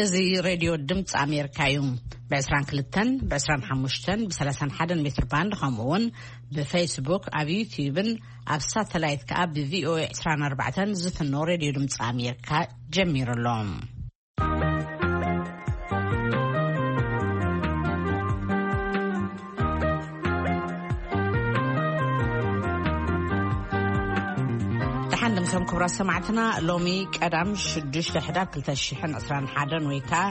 እዚ ሬድዮ ድምፂ ኣሜሪካ እዩ። ብ22፣ ብ25፣ ብ31 ሜትር ባንድ፣ ከምኡ እውን ብፌስቡክ፣ ኣብ ዩቲዩብን ኣብ ሳተላይት ከኣ ብ ቪኦኤ 24 ዝፍኖ ሬድዮ ድምፂ ኣሜሪካ ጀሚሩ ኣሎ። ደሓን ድምሶም ክቡራት ሰማዕትና፣ ሎሚ ቀዳም ሽዱሽተ ሕዳር ክልተ ሽሕን ዕስራን ሓደን ወይ ከኣ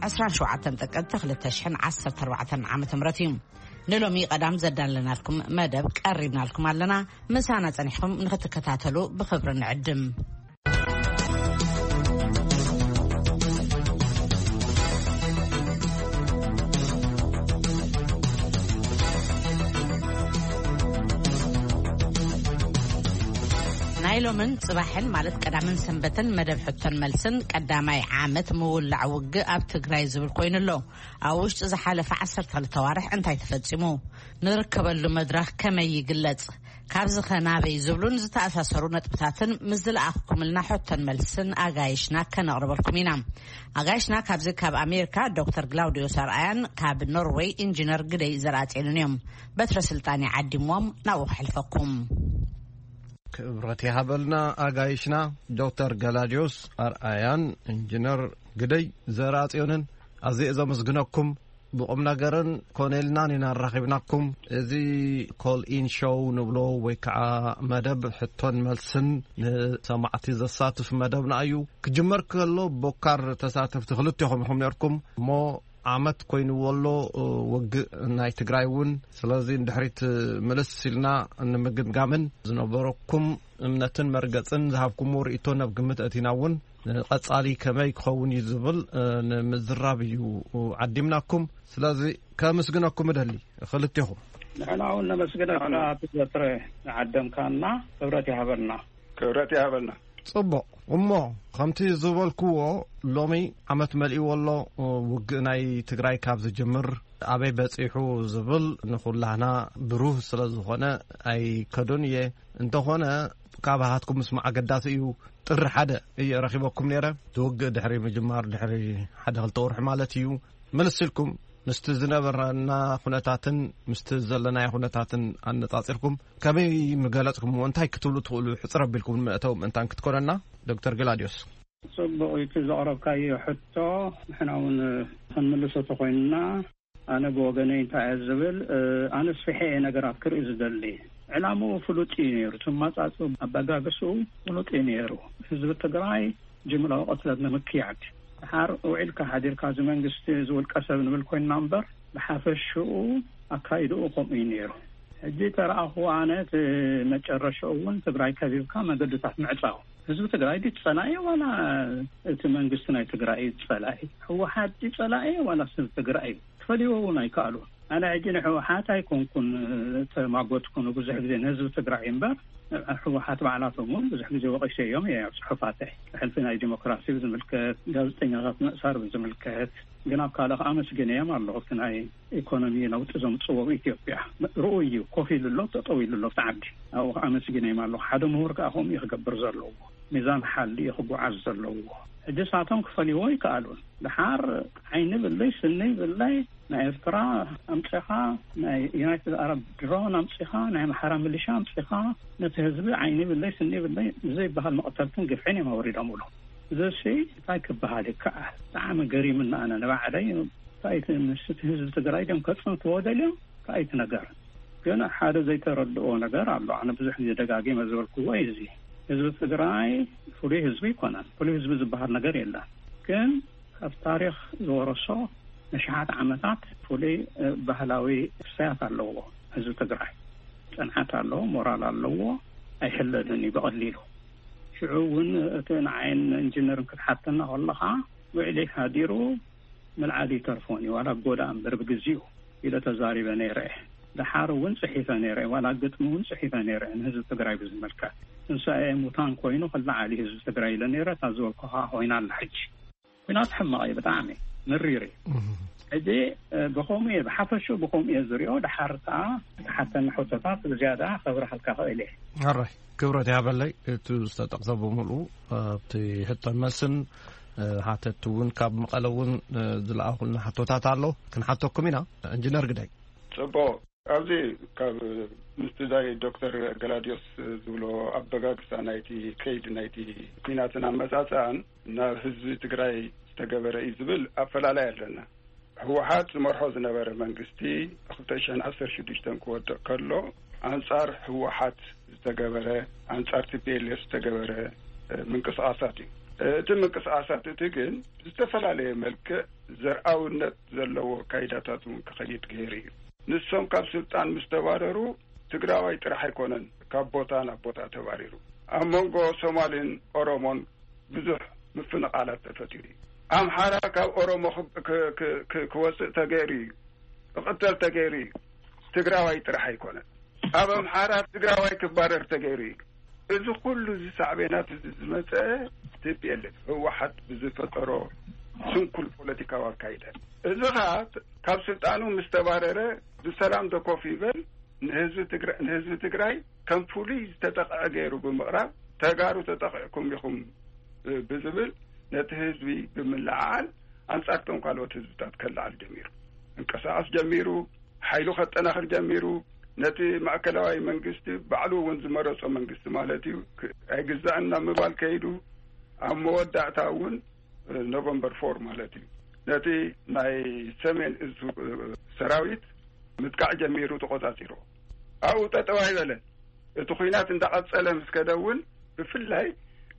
ዕስራን ሸውዓተን ጥቅምቲ ክልተ ሽሕን ዓሰርተ ኣርባዕተን ዓመተ ምህረት እዩ። ንሎሚ ቀዳም ዘዳለናልኩም መደብ ቀሪብናልኩም ኣለና። ምሳና ጸኒሕኩም ንክትከታተሉ ብኽብሪ ንዕድም። ናይ ሎምን ጽባሕን ማለት ቀዳምን ሰንበትን መደብ ሕቶን መልስን ቀዳማይ ዓመት ምውላዕ ውግእ ኣብ ትግራይ ዝብል ኮይኑ ኣሎ። ኣብ ውሽጢ ዝሓለፈ ዓሰርተ ክልተ ዋርሕ እንታይ ተፈጺሙ? ንርከበሉ መድረኽ ከመይ ይግለጽ? ካብዚ ኸ ናበይ ዝብሉን ዝተኣሳሰሩ ነጥብታትን ምስ ዝለኣኽኩምልና ሕቶን መልስን ኣጋይሽና ከነቕርበልኩም ኢና። ኣጋይሽና ካብዚ ካብ ኣሜሪካ ዶክተር ግላውዲዮስ ኣርኣያን ካብ ኖርወይ ኢንጂነር ግደይ ዘርኣጽዮንን እዮም። በትረ ስልጣን ይዓዲምዎም ናብኡ ክሕልፈኩም። ክብረት ይሃበልና ኣጋይሽና ዶክተር ገላዲዮስ ኣርኣያን ኢንጂነር ግደይ ዘርኣጽዮንን ኣዝየ ዘመስግነኩም። ብቁም ነገርን ኮነ ኢልናን ኢና ኣራኺብናኩም። እዚ ኮል ኢን ሾው ንብሎ ወይ ከዓ መደብ ሕቶን መልስን ንሰማዕቲ ዘሳትፍ መደብና እዩ። ክጅመር ከሎ ቦካር ተሳተፍቲ ክልቴኹም ኢኹም ነርኩም እሞ ዓመት ኮይንዎ ኣሎ ውግእ ናይ ትግራይ እውን። ስለዚ ንድሕሪት ምልስ ኢልና ንምግምጋምን ዝነበረኩም እምነትን መርገጽን ዝሃብኩምዎ ርእይቶ ናብ ግምት ኣእቲና እውን ንቐጻሊ ከመይ ክኸውን እዩ ዝብል፣ እ፣ ንምዝራብ እዩ ዓዲምናኩም። ስለዚ ከምስግነኩም እደሊ ክልቴኹም። ንሕና እውን ነመስግነካ ኣቶ ዘትረ ንዓደምካና ክብረት ይሃበልና። ክብረት ይሃበልና። ጽቡቕ። እሞ ከምቲ ዝበልክዎ ሎሚ ዓመት መሊእዎ ኣሎ ውግእ ናይ ትግራይ ካብ ዝጅምር ኣበይ በጺሑ ዝብል ንኹላህና ብሩህ ስለ ዝኾነ ኣይከዶን እየ። እንተኾነ ካብ ሃትኩም ምስማዕ ኣገዳሲ እዩ። ጥሪ ሓደ እየ ረኺበኩም ነይረ። እቲ ውግእ ድሕሪ ምጅማር ድሕሪ ሓደ ክልተ ወርሒ ማለት እዩ። ምልስ ኢልኩም ምስቲ ዝነበረና ኩነታትን ምስቲ ዘለናዮ ኩነታትን ኣነጻጺርኩም ከመይ ምገለጽኩምዎ? እንታይ ክትብሉ ትኽእሉ? ሕጽር ኣቢልኩም ንመእተዊ ምእንታን ክትኮነና ዶክተር ግላድዮስ። ጽቡቕ እዩ እቲ ዘቕረብካዮ ሕቶ። ንሕና እውን ክንምልሶ ተኾይንና፣ ኣነ ብወገነይ እንታይ እየ ዝብል፣ እ፣ ኣነ ስፊሐ እየ ነገራት ክርኢ ዝደሊ። ዕላምኡ ፍሉጥ እዩ ነይሩ። እቲ ማጻጽኡ ኣበጋግስኡ ፍሉጥ እዩ ነይሩ። ህዝቢ ትግራይ ጅምላዊ ቅትለት ንምክያድ። ድሓር ውዒልካ ሓዲርካ እዚ መንግስቲ እዚ ውልቀ ሰብ ንብል ኮይንና እምበር፣ ብሓፈሽኡ ኣካይድኡ ከምኡ እዩ ነይሩ። ሕጂ ተረኣኹ ኣነ እቲ መጨረሻኡ እውን ትግራይ ከቢብካ መገድታት ምዕጻው። ህዝቢ ትግራይ ድዩ ጸላኢ ዋላ እቲ መንግስቲ ናይ ትግራይ እዩ ጸላኢ? ህወሓት ድዩ ጸላኢ ዋላ ህዝቢ ትግራይ እዩ? ክፈልይዎ እውን ኣይከኣሉን። ኣነ ሕጂ ንህወሓት ኣይኮንኩን ተማጎትኩ፣ ንብዙሕ ግዜ ንህዝቢ ትግራይ እምበር፣ ህወሓት ባዕላቶም እውን ብዙሕ ግዜ ወቒሰዮም እየ ኣብ ጽሑፋተይ። ሕልፊ ናይ ዲሞክራሲ ብዝምልከት፣ ጋዜጠኛታት ምእሳር ብዝምልከት፣ ግን ኣብ ካልእ ከኣ ኣመስግነዮም ኣለኹ። እቲ ናይ ኢኮኖሚ ለውጢ ዘምጽዎ ኣብ ኢትዮጵያ ርኡይ እዩ። ኮፍ ኢሉ ኣሎ፣ ጠጠው ኢሉ ኣሎ ኣብቲ ዓዲ። ኣብኡ ከኣ ኣመስግነዮም ኣለኹ። ሓደ ምሁር ከኣ ከምኡ እዩ ክገብር ዘለዎ። ሚዛን ሓሊ እዩ ክጓዓዝ ዘለዎ። ሕጂ ሳቶም ክፈልይዎ ይከኣሉን። ድሓር ዓይኒ ብለይ ስኒ ብለይ ናይ ኤርትራ ኣምጺኻ፣ ናይ ዩናይትድ ኣረብ ድሮን ኣምጺኻ፣ ናይ ኣምሓራ ሚሊሻ ኣምጺኻ፣ ነቲ ህዝቢ ዓይኒ ብለይ ስኒ ብለይ ዘይበሃል መቕተልትን ግፍዕን እዮም ኣወሪዶምሉ። እዚሲ እንታይ ክበሃል ይከኣል? ብጣዕሚ ገሪምና ኣነ ንባዕለይ። እንታይ እቲ ምስቲ ህዝቢ ትግራይ ድዮም ከጽንትዎ ደልዮም? እንታይ እቲ ነገር? ግን ሓደ ዘይተረድኦ ነገር ኣሎ። ኣነ ብዙሕ ግዜ ደጋጊመ ዝበልክዎ እዩ። እዚ ህዝቢ ትግራይ ፍሉይ ህዝቢ ኣይኮነን። ፍሉይ ህዝቢ ዝበሃል ነገር የለን። ግን ካብ ታሪኽ ዝወረሶ ንሽሓት ዓመታት ፍሉይ፣ እ፣ ባህላዊ ክስተያት ኣለዎ ህዝቢ ትግራይ። ጽንዓት ኣለዎ፣ ሞራል ኣለዎ፣ ኣይሕለልን እዩ ብቐሊሉ። ሽዑ እውን እቲ ንዓይን ኢንጂነርን ክትሓተና ከለኻ ውዕሊ ሓዲሩ ምልዓል ይተርፎን እዩ፣ ዋላ ጎዳ እምበር ብግዚኡ ኢለ ተዛሪበ ነይረ እየ። ደሓር እውን ጽሒፈ ነይረ እየ፣ ዋላ ግጥሚ እውን ጽሒፈ ነይረ እየ ንህዝቢ ትግራይ ብዝምልከት። ትንሳኤ ሙታን ኮይኑ ክለዓል እዩ ህዝቢ ትግራይ ኢለ ነይረ፣ እታ ዝበልኩኻ ኮይና ኣላ ሕጂ። ኲናት ሕማቕ እዩ ብጣዕሚ። ምሪር እዩ። ሕጂ ብኸምኡ እየ፣ ብሓፈሹ ብኸምኡ እየ ዝሪኦ። ድሓር ከዓ እቲ ሓተኒ ሕቶታት ብዝያዳ ከብርሃልካ ክእል እየ። ኣራይ ክብረት ያበለይ፣ እቲ ዝተጠቕሰ ብምልኡ ኣብቲ ሕቶን መልስን። ሓተቲ እውን ካብ መቐለ እውን ዝለኣኹልና ሕቶታት ኣሎ፣ ክንሓተኩም ኢና። ኢንጂነር ግዳይ። ጽቡቕ። ኣብዚ ካብ ምስቲ ዛይ ዶክተር ገላዲዮስ ዝብሎ ኣበጋግሳ ናይቲ ከይድ ናይቲ ኲናትን ኣመጻጽኣን ናብ ህዝቢ ትግራይ ዝተገበረ እዩ ዝብል ኣፈላላይ ኣለና። ህወሓት ዝመርሖ ዝነበረ መንግስቲ ክልተ ሽሕን ዓሰርተ ሽዱሽተን ክወድቕ ከሎ ኣንጻር ህወሓት ዝተገበረ፣ ኣንጻር ቲ ፒ ኤል ኤፍ ዝተገበረ ምንቅስቃሳት እዩ። እቲ ምንቅስቃሳት እቲ ግን ዝተፈላለየ መልክዕ ዘርኣውነት ዘለዎ ካይዳታት እውን ክኸይድ ገይሩ እዩ። ንሶም ካብ ስልጣን ምስ ተባረሩ ትግራዋይ ጥራሕ ኣይኮነን ካብ ቦታ ናብ ቦታ ተባሪሩ። ኣብ መንጎ ሶማልን ኦሮሞን ብዙሕ ምፍንቓላት ተፈጢሩ እዩ። ኣምሓራ ካብ ኦሮሞ ክወፅእ ተገይሩ እዩ፣ ክቕተል ተገይሩ እዩ። ትግራዋይ ጥራሕ ኣይኮነን። ኣብ ኣምሓራ ትግራዋይ ክባረር ተገይሩ እዩ። እዚ ኩሉ እዚ ሳዕቤናት እዚ ዝመፀ ቲ ፒ ኤል ኤፍ ህወሓት ብዝፈጠሮ ስንኩል ፖለቲካዊ ኣካይደ። እዚ ኸዓ ካብ ስልጣኑ ምስ ተባረረ ብሰላም ዶ ኮፍ ይበል፣ ንህዝቢ ትግራይ ከም ፍሉይ ዝተጠቕዐ ገይሩ ብምቕራብ፣ ተጋሩ ተጠቒዕኩም ኢኹም ብዝብል ነቲ ህዝቢ ብምልዓዓል ኣንጻርቶም ካልኦት ህዝብታት ከለዓል ጀሚሩ፣ እንቀሳቐስ ጀሚሩ፣ ሓይሉ ከጠናኽር ጀሚሩ። ነቲ ማእከላዊ መንግስቲ ባዕሉ እውን ዝመረጾ መንግስቲ ማለት እዩ፣ ኣይግዛእን ናብ ምባል ከይዱ፣ ኣብ መወዳእታ እውን ኖቨምበር ፎር ማለት እዩ፣ ነቲ ናይ ሰሜን እዝ ሰራዊት ምጥቃዕ ጀሚሩ፣ ተቆጻጺሩ ኣብኡ ጠጠው ኣይበለን። እቲ ኹናት እንዳቐጸለ ምስ ከደ እውን ብፍላይ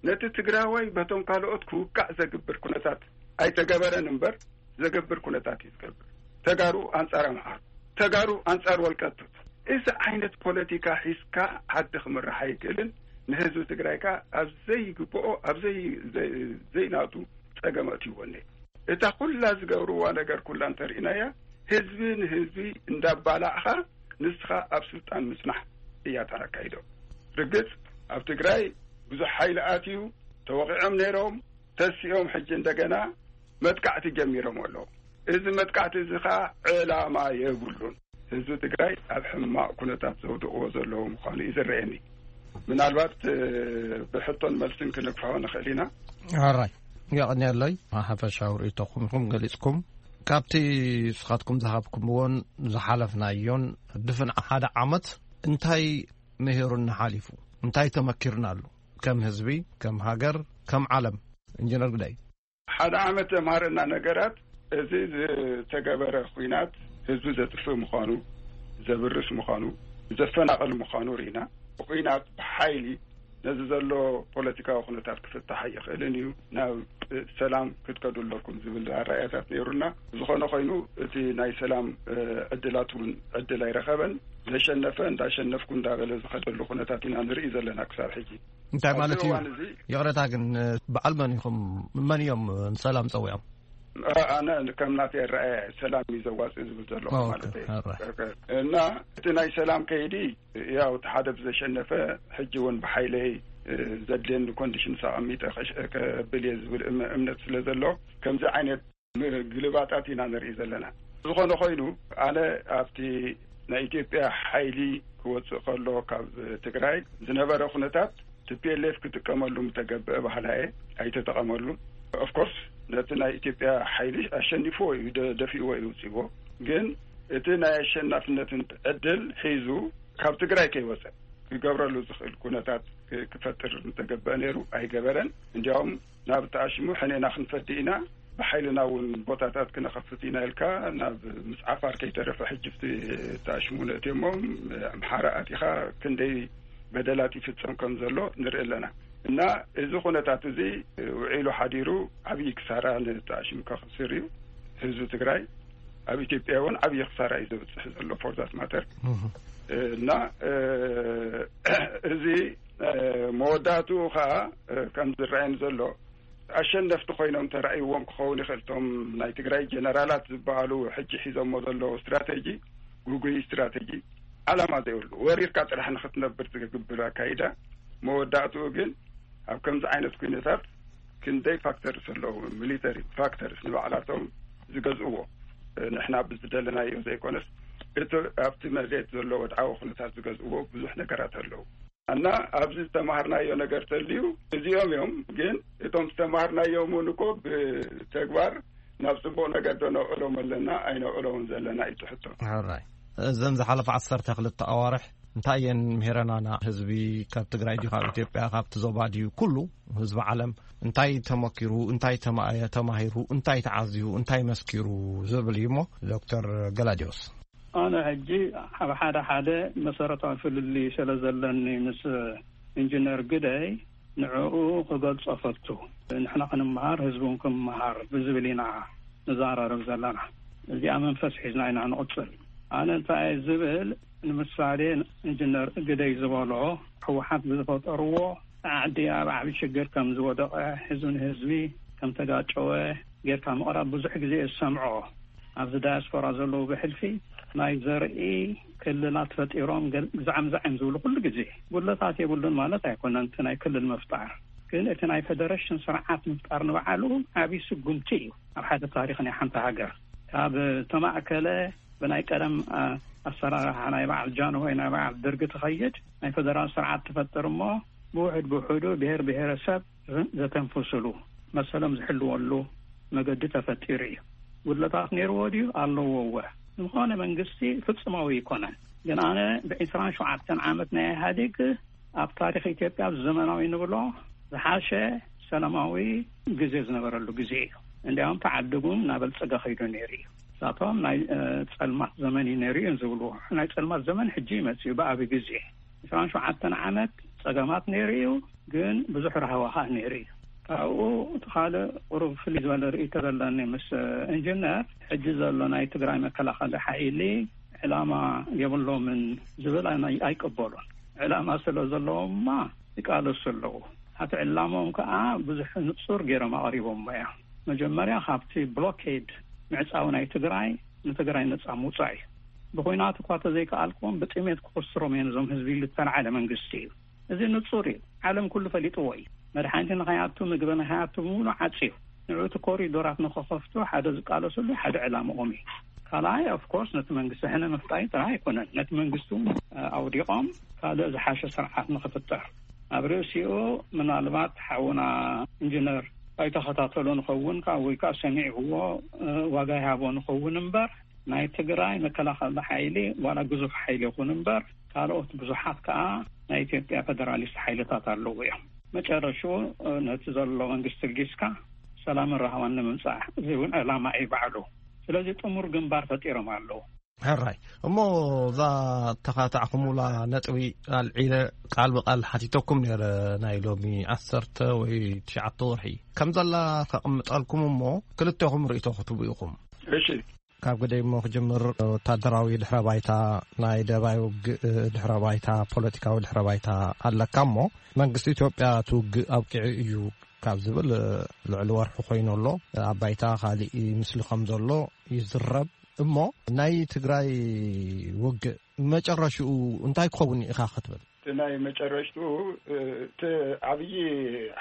ነቲ ትግራዋይ በቶም ካልኦት ክውቃዕ ዘግብር ኩነታት ኣይተገበረን እምበር ዘገብር ኩነታት እዩ ዝገብር። ተጋሩ ኣንጻር ኣምሓሩ፣ ተጋሩ ኣንጻር ወልቀቱት። እዚ ዓይነት ፖለቲካ ሒዝካ ዓዲ ክምራሕ ኣይክእልን። ንህዝቢ ትግራይ ከኣ ኣብ ዘይግብኦ፣ ኣብ ዘይናቱ ጸገም ኣእትይዎ እኒሀ። እታ ኩላ ዝገብርዋ ነገር ኩላ እንተርኢናያ፣ ህዝቢ ንህዝቢ እንዳባላዕኻ ንስኻ ኣብ ስልጣን ምጽናሕ እያ ተረካይዶ። ርግጽ ኣብ ትግራይ ብዙሕ ሓይሊ ኣትዩ፣ ተወቒዖም ነይሮም፣ ተሲኦም ሕጂ እንደገና መጥቃዕቲ ጀሚሮም ኣለዉ። እዚ መጥቃዕቲ እዚ ኸዓ ዕላማ የብሉን። ህዝቢ ትግራይ ኣብ ሕማቕ ኩነታት ዘውድቕዎ ዘለዉ ምዃኑ እዩ ዝረአየኒ። ምናልባት ብሕቶን መልስን ክንግፍሖ ንኽእል ኢና። ኣራይ የቐንየለይ። ሓፈሻዊ ርእይቶኹም ኢኹም ገሊጽኩም። ካብቲ ንስኻትኩም ዝሃብኩምዎን ዝሓለፍናዮን ድፍን ሓደ ዓመት እንታይ ምሂሩና ሓሊፉ? እንታይ ተመኪርናሉ? ከም ህዝቢ፣ ከም ሃገር፣ ከም ዓለም? ኢንጂነር ግዳይ። ሓደ ዓመት ዘምሃረና ነገራት፣ እዚ ዝተገበረ ኹናት ህዝቢ ዘጥፍእ ምዃኑ፣ ዘብርስ ምዃኑ፣ ዘፈናቕል ምዃኑ ርኢና። ብኹናት ብሓይሊ ነዚ ዘሎ ፖለቲካዊ ኩነታት ክፍታሕ ኣይኽእልን እዩ፣ ናብ ሰላም ክትከዱ ኣለኩም ዝብል ኣረኣእያታት ነይሩና። ዝኾነ ኮይኑ እቲ ናይ ሰላም ዕድላት እውን ዕድል ኣይረኸበን። ዘሸነፈ እንዳሸነፍኩ እንዳበለ ዝኸደሉ ኩነታት ኢና ንርኢ ዘለና ክሳብ ሕጂ። እንታይ ማለት እዩ? ይቕረታ ግን በዓል መን ኢኹም? መን እዮም ንሰላም ፀዊዖም? ኣነ ከም ናተይ ኣረኣእያ ሰላም እዩ ዘዋፅእ ዝብል ዘለኹ ማለት እዩ። እና እቲ ናይ ሰላም ከይዲ ያው እቲ ሓደ ብዘሸነፈ ሕጂ እውን ብሓይለይ ዘድልየኒ ኮንዲሽንስ ኣቐሚጠ ከብል እየ ዝብል እምነት ስለ ዘሎ ከምዚ ዓይነት ግልባጣት ኢና ንርኢ ዘለና። ዝኾነ ኮይኑ ኣነ ኣብቲ ናይ ኢትዮጵያ ሓይሊ ክወፅእ ከሎ ካብ ትግራይ ዝነበረ ኩነታት ቲ ፒ ኤል ኤፍ ክጥቀመሉ ምተገብአ ባህላ እየ ኣይተጠቐመሉ። ኦፍኮርስ ነቲ ናይ ኢትዮጵያ ሓይሊ ኣሸኒፍዎ እዩ፣ ደፊእዎ እዩ ውፅዎ። ግን እቲ ናይ ኣሸናፍነትን ዕድል ሒዙ ካብ ትግራይ ከይወፀ ክገብረሉ ዝኽእል ኩነታት ክፈጥር ምተገበአ ነይሩ፣ ኣይገበረን። እንዲያውም ናብ ተኣሽሙ ሕኔና ክንፈዲ ኢና፣ ብሓይልና እውን ቦታታት ክነኸፍት ኢና ኢልካ ናብ ምስ ዓፋር ከይተረፈ ሕጂ ብቲ ተኣሽሙ ነእትዮሞም ኣምሓራ ኣቲኻ ክንደይ በደላት ይፍጸም ከም ዘሎ ንርኢ ኣለና። እና እዚ ኩነታት እዚ ውዒሉ ሓዲሩ ዓብዪ ክሳራ ንተኣሽሙ ከኽስር እዩ ህዝቢ ትግራይ። ኣብ ኢትዮጵያ እውን ዓብዪ ክሳራ እዩ ዘብፅሕ ዘሎ for that matter። እና እዚ መወዳእትኡ ከዓ ከም ዝረኣየኒ ዘሎ ኣሸነፍቲ ኮይኖም ተራእይዎም ክኸውን ይኽእል። እቶም ናይ ትግራይ ጀነራላት ዝበሃሉ ሕጂ ሒዞሞ ዘለዉ ስትራቴጂ ጉጉይ ስትራቴጂ ዓላማ ዘይብሉ ወሪርካ ጥራሕ ንክትነብር ዝግብር ኣካይዳ። መወዳእትኡ ግን ኣብ ከምዚ ዓይነት ኩነታት ክንደይ ፋክተርስ ኣለዉ፣ ሚሊተሪ ፋክተርስ ንባዕላቶም ዝገዝእዎ። ንሕና ብዝደለናዮ ዘይኮነስ፣ እቲ ኣብቲ መሬት ዘሎ ወድዓዊ ኩነታት ዝገዝእዎ ብዙሕ ነገራት ኣለዉ። እና ኣብዚ ዝተማሃርናዮ ነገር ተልዩ፣ እዚኦም እዮም። ግን እቶም ዝተማሃርናዮም እውን እኮ ብተግባር ናብ ጽቡቕ ነገር ዶ ነውዕሎም ኣለና ኣይነውዕሎምን ዘለና እዩ እቲ ሕቶ። ሕራይ። እዘን ዝሓለፈ ዓሰርተ ክልተ ኣዋርሕ እንታይ እየን ምሄረናና? ህዝቢ ካብ ትግራይ ድዩ፣ ካብ ኢትዮጵያ፣ ካብቲ ዞባ ድዩ፣ ኩሉ ህዝቢ ዓለም እንታይ ተመኪሩ፣ እንታይ ተማ-፣ ተማሂሩ፣ እንታይ ተዓዝዩ፣ እንታይ መስኪሩ ዝብል እዩ እሞ፣ ዶክተር ገላዲዮስ። ኣነ ሕጂ ኣብ ሓደ ሓደ መሰረታዊ ፍልልይ ስለ ዘለኒ ምስ ኢንጂነር ግደይ፣ ንዕኡ ክገልጾ ፈቱ። ንሕና ክንመሃር፣ ህዝቢ እውን ክመሃር ብዝብል ኢና ንዘራረብ ዘለና። እዚኣ መንፈስ ሒዝና ኢና ንቕጽል። ኣነ እንታይ እየ ዝብል፣ ንምሳሌ፣ ኢንጂነር ግደይ ዝበሎ፣ ህወሓት ብዝፈጠርዎ ዓዲ ኣብ ዓቢ ሽግር ከም ዝወደቐ፣ ህዝቢ ንህዝቢ ከም ተጋጨወ ጌርካ ምቕራብ ብዙሕ ግዜ እየ ዝሰምዖ። ኣብዚ ዳያስፖራ ዘለዉ ብሕልፊ ናይ ዘርኢ ክልላት ፈጢሮም ገ-፣ ግዛዕምዛዕ እዮም ዝብሉ ኩሉ ግዜ። ጉድለታት የብሉን ማለት ኣይኮነን እቲ ናይ ክልል ምፍጣር። ግን እቲ ናይ ፌደሬሽን ስርዓት ምፍጣር ንባዕሉ ዓቢ ስጉምቲ እዩ ኣብ ሓደ ታሪኽ ናይ ሓንቲ ሃገር። ካብ ተማእከለ ብናይ ቀደም፣ አ፣ ኣሰራርሓ ናይ በዓል ጃንሆይ፣ ናይ በዓል ደርጊ ትኸይድ፣ ናይ ፌደራል ስርዓት ትፈጥር እሞ ብውሑድ ብውሑዱ ብሄር ብሄረሰብ ዘተንፍስሉ፣ መሰሎም ዝሕልወሉ መገዲ ተፈጢሩ እዩ። ጉድለታት ነይርዎ ድዩ? ኣለዎ እወ። ዝኾነ መንግስቲ ፍጹማዊ ኣይኮነን። ግን ኣነ ብዒስራን ሸውዓተን ዓመት ናይ ኢህኣዴግ ኣብ ታሪኽ ኢትዮጵያ ዘመናዊ ንብሎ ዝሓሸ ሰላማዊ ግዜ ዝነበረሉ ግዜ እዩ። እንዲያውም ተዓዲጉ እናበልጸገ ከይዱ ነይሩ እዩ። ንሳቶም ናይ፣ እ፣ ጸልማት ዘመን እዩ ነይሩ እዮም ዝብሉ። ናይ ጸልማት ዘመን ሕጂ ይመጽእ እዩ ብኣቢ ግዜ። ዕስራን ሸውዓተን ዓመት ጸገማት ነይሩ እዩ፣ ግን ብዙሕ ራህዋ ኸኣ ነይሩ እዩ። ካብኡ እቲ ካልእ ቁሩብ ፍልይ ዝበለ ርእይቶ ዘለኒ ምስ ኢንጂነር፣ ሕጂ ዘሎ ናይ ትግራይ መከላኸሊ ሓይሊ ዕላማ የብሎምን ዝብል ኣይ-፣ ኣይቅበሉን። ዕላማ ስለ ዘለዎም እማ ይቃለሱ ኣለዉ። ኣቲ ዕላምኦም ከኣ ብዙሕ ንጹር ገይሮም ኣቕሪቦሞ እዮም። መጀመርያ ካብቲ ብሎኬድ ምዕጻው ናይ ትግራይ ንትግራይ ነጻ ምውጻእ እዩ። ብኹናት እኳ ተዘይከኣልኩም ብጥሜት ክኹስሮም እዮም እዞም ህዝቢ ኢሉ ዝተላዓለ መንግስቲ እዩ። እዚ ንጹር እዩ። ዓለም ኩሉ ፈሊጥዎ እዩ። መድሓኒት ንኸይኣቱ፣ ምግቢ ንኸይኣቱ ብምሉእ ዓጽዩ። ንዑ እቲ ኮሪዶራት ንኸኸፍቱ ሓደ ዝቃለሰሉ ሓደ ዕላምኦም እዩ። ካልኣይ ኦፍኮርስ ነቲ መንግስቲ ሕነ ምፍጣይ ጥራይ ኣይኮነን። ነቲ መንግስቲ እውን፣ እ፣ ኣውዲቖም ካልእ ዝሓሸ ስርዓት ንኽፍጠር። ኣብ ርእሲኡ ምናልባት ሓውና ኢንጂነር ኣይተኸታተሎ ንኸውን፣ ካብ ወይ ከዓ ሰሚዕዎ፣ እ፣ ዋጋ ይሃቦ ንኸውን እምበር ናይ ትግራይ መከላኸሊ ሓይሊ ዋላ ግዙፍ ሓይሊ ይኹን እምበር ካልኦት ብዙሓት ከዓ ናይ ኢትዮጵያ ፌደራሊስት ሓይልታት ኣለዉ እዮም። መጨረሽኡ፣ እ፣ ነቲ ዘሎ መንግስቲ ልጊስካ ሰላምን ራህዋን ንምምፃእ፣ እዚ እውን ዕላማ እዩ ባዕሉ። ስለዚ ጥሙር ግንባር ፈጢሮም ኣለዉ። ሕራይ። እሞ እዛ ተኻታዕኩሙላ ነጥቢ ኣልዒለ ቃል ብቃል ሓቲተኩም ነይረ፣ ናይ ሎሚ ዓሰርተ ወይ ትሽዓተ ወርሒ ከም ዘላ ከቕምጠልኩም እሞ ክልቴኹም ርእይቶ ክትቡ ኢኹም። እሺ። ካብ ግደይ እሞ ክጅምር፣ ወታደራዊ ድሕረ ባይታ ናይ ደባይ ውግእ ድሕረ ባይታ፣ ፖለቲካዊ ድሕረ ባይታ ኣለካ እሞ መንግስቲ ኢትዮጵያ እቲ ውግእ ኣብቂዑ እዩ ካብ ዝብል ልዕሊ ወርሒ ኮይኑ ኣሎ። ኣብ ባይታ ካሊእ ምስሊ ከም ዘሎ ይዝረብ። እሞ ናይ ትግራይ ውግእ መጨረሽኡ እንታይ ክኸውን ኢኻ ክትብል? እቲ ናይ መጨረሽቱ፣ እቲ ዓብዪ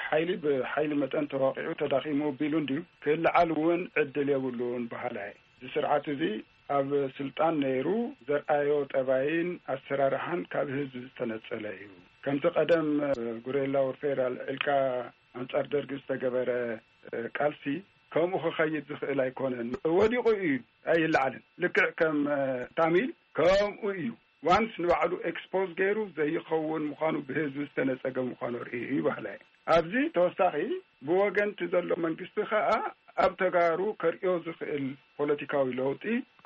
ሓይሊ ብሓይሊ መጠን ተዋቂዑ ተዳኺሙ ቢሉ እንድዩ ክልዓል እውን ዕድል የብሉን በሃላይ። እዚ ስርዓት እዚ ኣብ ስልጣን ነይሩ ዘርኣዮ ጠባይን ኣሰራርሓን ካብ ህዝቢ ዝተነጸለ እዩ። ከምቲ ቀደም ጉሬላ ወርፌር ኣልዒልካ ኣንጻር ደርጊ ዝተገበረ ቃልሲ ከምኡ ክኸይድ ዝኽእል ኣይኮነን። ወዲቑ እዩ ኣይለዓልን። ልክዕ ከም ታሚል ከምኡ እዩ። ዋንስ ንባዕሉ ኤክስፖዝ ገይሩ ዘይኸውን ምዃኑ ብህዝቢ ዝተነጸገ ምዃኑ ርእዩ እዩ በሃላይ። ኣብዚ ተወሳኺ ብወገንቲ ዘሎ መንግስቲ ከኣ ኣብ ተጋሩ ከርእዮ ዝኽእል ፖለቲካዊ ለውጢ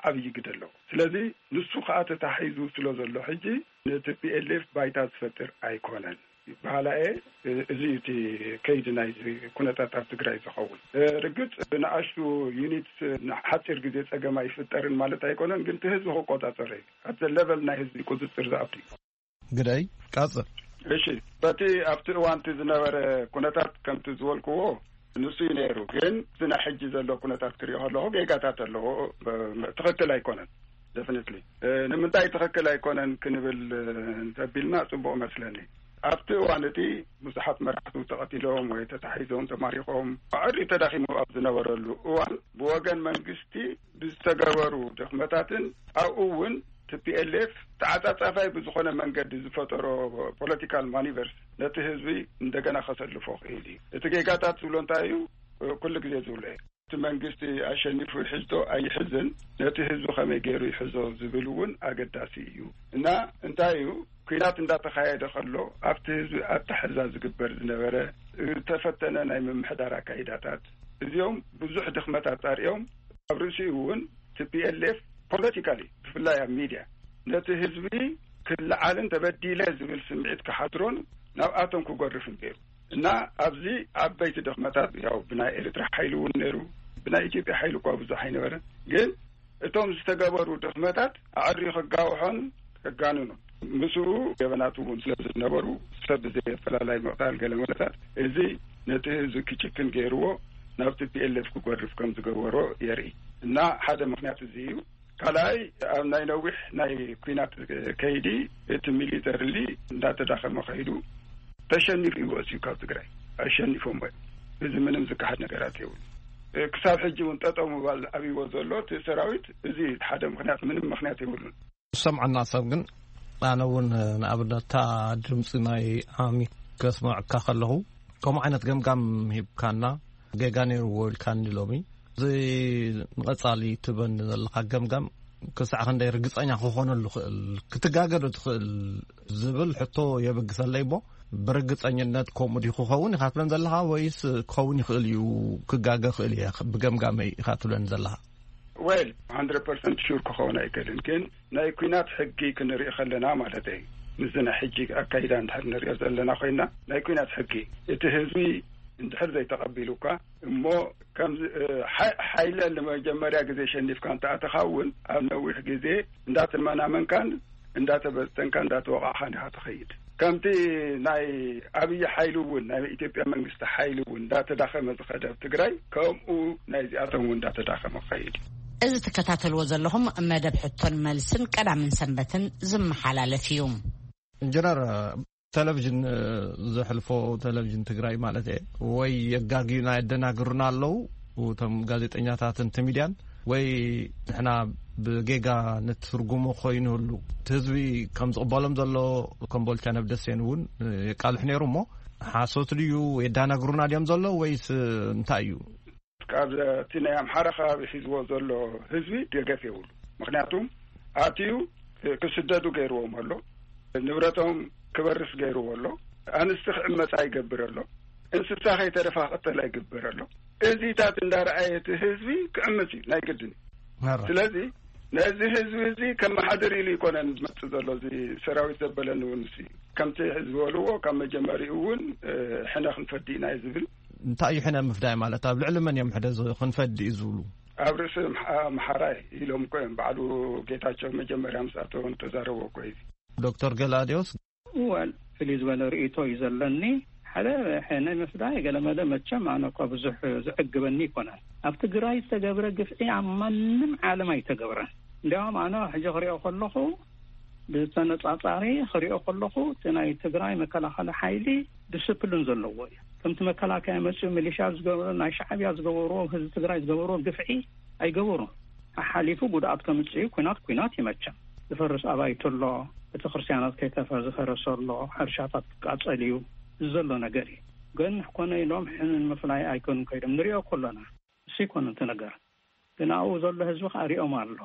ዓብዪ ግደ ኣለዎ። ስለዚ ንሱ ከኣ ተታሒዙ ስለ ዘሎ ሕጂ ነቲ ፒኤልኤፍ ባይታ ዝፈጥር ኣይኮነን። በሃላኤ እዚ እዩ እቲ ከይዲ ናይዚ ኩነታት ኣብ ትግራይ ዝኸውን። ርግፅ ብንኣሽቱ ዩኒትስ ንሓፂር ግዜ ፀገም ኣይፍጠርን ማለት ኣይኮነን፣ ግን እቲ ህዝቢ ክቆፃፀሮ እዩ። ኣብቲ ሌቨል ናይ ህዝቢ ቁፅፅር ዝኣቱ እዩ። ግደይ ቀፅል። እሺ፣ በቲ ኣብቲ እዋንቲ ዝነበረ ኩነታት ከምቲ ዝበልክዎ ንሱ እዩ ነይሩ። ግን እዚ ናይ ሕጂ ዘሎ ኩነታት ክሪኦ ከለኹ ጌጋታት ኣለዎ። ትኽክል ኣይኮነን። ደፍኒትሊ ንምንታይ ትኽክል ኣይኮነን ክንብል እንተቢልና ፅቡቕ መስለኒ። ኣብቲ እዋን እቲ ብዙሓት መራሕቱ ተቐቲሎም ወይ ተታሒዞም ተማሪኾም ኣዕሪ ተዳኺሙ ኣብ ዝነበረሉ እዋን ብወገን መንግስቲ ብዝተገበሩ ድኽመታትን ኣብኡ እውን ቲ ፒ ኤል ኤፍ ተዓጻጻፋይ ብዝኾነ መንገዲ ዝፈጠሮ ፖለቲካል ማኒቨርስ ነቲ ህዝቢ እንደገና ከሰልፎ ክእል እዩ። እቲ ጌጋታት ዝብሎ እንታይ እዩ? ኩሉ ግዜ ዝብሎ እዩ። እቲ መንግስቲ ኣሸኒፉ ይሕዝቶ ኣይሕዝን፣ ነቲ ህዝቢ ከመይ ገይሩ ይሕዞ ዝብል እውን ኣገዳሲ እዩ። እና እንታይ እዩ፣ ኲናት እንዳተኻየደ ከሎ ኣብቲ ህዝቢ ኣተሐዛ ዝግበር ዝነበረ ዝተፈተነ ናይ ምምሕዳር ኣካይዳታት፣ እዚኦም ብዙሕ ድኽመት ኣጻሪኦም ኣብ ርእሲኡ እውን ቲ ፒ ኤል ኤፍ ፖለቲካሊ ብፍላይ ኣብ ሚድያ ነቲ ህዝቢ ክለዓልን ተበዲለ ዝብል ስምዒት ክሓድሮን ናብኣቶም ክጎርፍን ገይሩ። እና ኣብዚ ዓበይቲ ድኽመታት ያው ብናይ ኤርትራ ሓይሊ እውን ነይሩ፣ ብናይ ኢትዮጵያ ሓይሊ እኳ ብዙሕ ኣይነበረን። ግን እቶም ዝተገበሩ ድኽመታት ኣዕሪ ክጋውሖን ከጋንኑ ምስኡ ገበናት እውን ስለ ዝነበሩ ሰብ ብዘየፈላላይ ምቕታል ገለ መለታት እዚ ነቲ ህዝቢ ክጭክን ገይርዎ ናብ ቲ ፒ ኤል ኤፍ ክጎርፍ ከም ዝገበሮ የርኢ። እና ሓደ ምኽንያት እዚ እዩ። ካልኣይ ኣብ ናይ ነዊሕ ናይ ኲናት ከይዲ እቲ ሚሊተርሊ እንዳተዳኸመ ከይዱ ተሸኒፉ ይወፅዩ ካብ ትግራይ ኣሸኒፎም ወይ እዚ ምንም ዝካሓድ ነገራት የብሉ። ክሳብ ሕጂ እውን ጠጠው ምባል ኣብይዎ ዘሎ እቲ ሰራዊት እዚ ሓደ ምኽንያት ምንም ምኽንያት የብሉን። ዝሰምዐና ሰብ ግን ኣነ እውን ንኣብነት እታ ድምፂ ናይ ኣሚ ከስምዐካ ከለኹ ከምኡ ዓይነት ገምጋም ሂብካና ጌጋ ነይርዎ ኢልካኒ ሎሚ። እዚ ንቐጻሊ ትበኒ ዘለኻ ገምጋም ክሳዕ ክንደይ ርግጸኛ ክኾነሉ ክእል ክትጋገ ዶ ትኽእል ዝብል ሕቶ የበግሰለይ እሞ ብርግጸኝነት ከምኡ ዲ ክኸውን ኢኻ ትብለን ዘለኻ ወይስ ክኸውን ይኽእል እዩ ክጋገ ክእል እየ ብገምጋመይ ኢኻ ትብለን ዘለኻ? ወል ሃንድረድ ፐርሰንት ሹር ክኸውን ኣይክእልን፣ ግን ናይ ኲናት ሕጊ ክንርኢ ከለና ማለት እዩ። ምስዚ ናይ ሕጂ ኣካይዳ እንድሕር ንሪኦ ዘለና ኮይና ናይ ኲናት ሕጊ እቲ ህዝቢ እንድሕር ዘይተቐቢሉካ እሞ ከም ሓይለ ንመጀመርያ ግዜ ሸኒፍካ እንተኣተኻ እውን ኣብ ነዊሕ ግዜ እንዳተመናመንካን እንዳተበተንካ እንዳተወቃዕኻን ኢኻ ትኸይድ። ከምቲ ናይ ኣብይ ሓይሊ እውን ናይ ኢትዮጵያ መንግስቲ ሓይሊ እውን እንዳተዳኸመ ዝኸደ ኣብ ትግራይ ከምኡ ናይዚኣቶም እውን እንዳተዳኸመ ክኸይድ እዩ። እዚ ትከታተልዎ ዘለኹም መደብ ሕቶን መልስን ቀዳምን ሰንበትን ዝመሓላለፍ እዩ። ኢንጂነር፣ ቴሌቪዥን ዘሕልፎ ቴሌቪዥን ትግራይ ማለት እየ ወይ የጋግዩና የደናግሩና ኣለዉ እቶም ጋዜጠኛታትን እቲ ሚድያን ወይ ንሕና ብጌጋ ንትርጉሞ ኮይኑሉ እቲ ህዝቢ ከም ዝቕበሎም ዘሎ ኮምቦልቻ ነብደሴን እውን የቃልሕ ነይሩ እሞ ሓሶት ድዩ የዳናግሩና ድዮም ዘሎ ወይስ እንታይ እዩ? ካብ እቲ ናይ ኣምሓራ ከባቢ ሒዝዎ ዘሎ ህዝቢ ደገፍ የብሉ። ምክንያቱም ኣትዩ ክስደዱ ገይርዎም ኣሎ፣ ንብረቶም ክበርስ ገይርዎ ኣሎ፣ ኣንስቲ ክዕመፃ ይገብር ኣሎ፣ እንስሳ ከይተረፋ ክቅተላ ይግበር ኣሎ። እዚታት እንዳረኣየ እቲ ህዝቢ ክዕምፅ እዩ ናይ ግድን። ስለዚ ነዚ ህዝቢ እዚ ከመሓድር ኢሉ ይኮነን ዝመፅእ ዘሎ። እዚ ሰራዊት ዘበለኒ እውን ሲ ከምቲ ዝበልዎ ካብ መጀመሪኡ እውን ሕነ ክንፈዲ ኢና እዩ ዝብል። እንታይ እዩ ሕነ ምፍዳይ ማለት ኣብ ልዕሊ መን እዮም ሕደ ክንፈዲ እዩ ዝብሉ? ኣብ ርእሲ ኣምሓራይ ኢሎም እኮ እዮም ባዕሉ ጌታቸው መጀመርያ ምስ ኣተወ ተዛረቦ እኮ እዩ። ዶክተር ገላዲዮስ እወል ፍልይ ዝበለ ርእቶ እዩ ዘለኒ። ሓደ ሕነ ምፍዳይ ገለመለ መቸም ኣነ እኳ ብዙሕ ዝዕግበኒ ይኮነን። ኣብ ትግራይ ዝተገብረ ግፍዒ ኣብ ማንም ዓለም ኣይተገብረን። እንዲያውም ኣነ ሕጂ ክሪኦ ከለኹ ብተነጻጻሪ ክሪኦ ከለኹ እቲ ናይ ትግራይ መከላኸሊ ሓይሊ ዲስፕሊን ዘለዎ እዩ። ከምቲ መከላከያ መፅኡ ሚሊሻ ዝገብሮ ናይ ሻዕብያ ዝገበርዎ ህዝቢ ትግራይ ዝገበርዎ ግፍዒ ኣይገበሩን። ሓሓሊፉ ጉድኣት ከምፅእ እዩ። ኩናት ኩናት ይመቸም ዝፈርስ ኣባይቲ ኣሎ፣ ቤተክርስትያናት ከይተፈ ዝፈረሰ ኣሎ፣ ሕርሻታት ክቃፀል እዩ ዘሎ ነገር እዩ። ግን ኮነ ኢሎም ሕንን ምፍላይ ኣይኮኑን ከይዶም ንሪኦ ከሎና እሱ ይኮኑ እቲ ነገር። ግን ኣብኡ ዘሎ ህዝቢ ከዓ ሪኦም ኣሎ።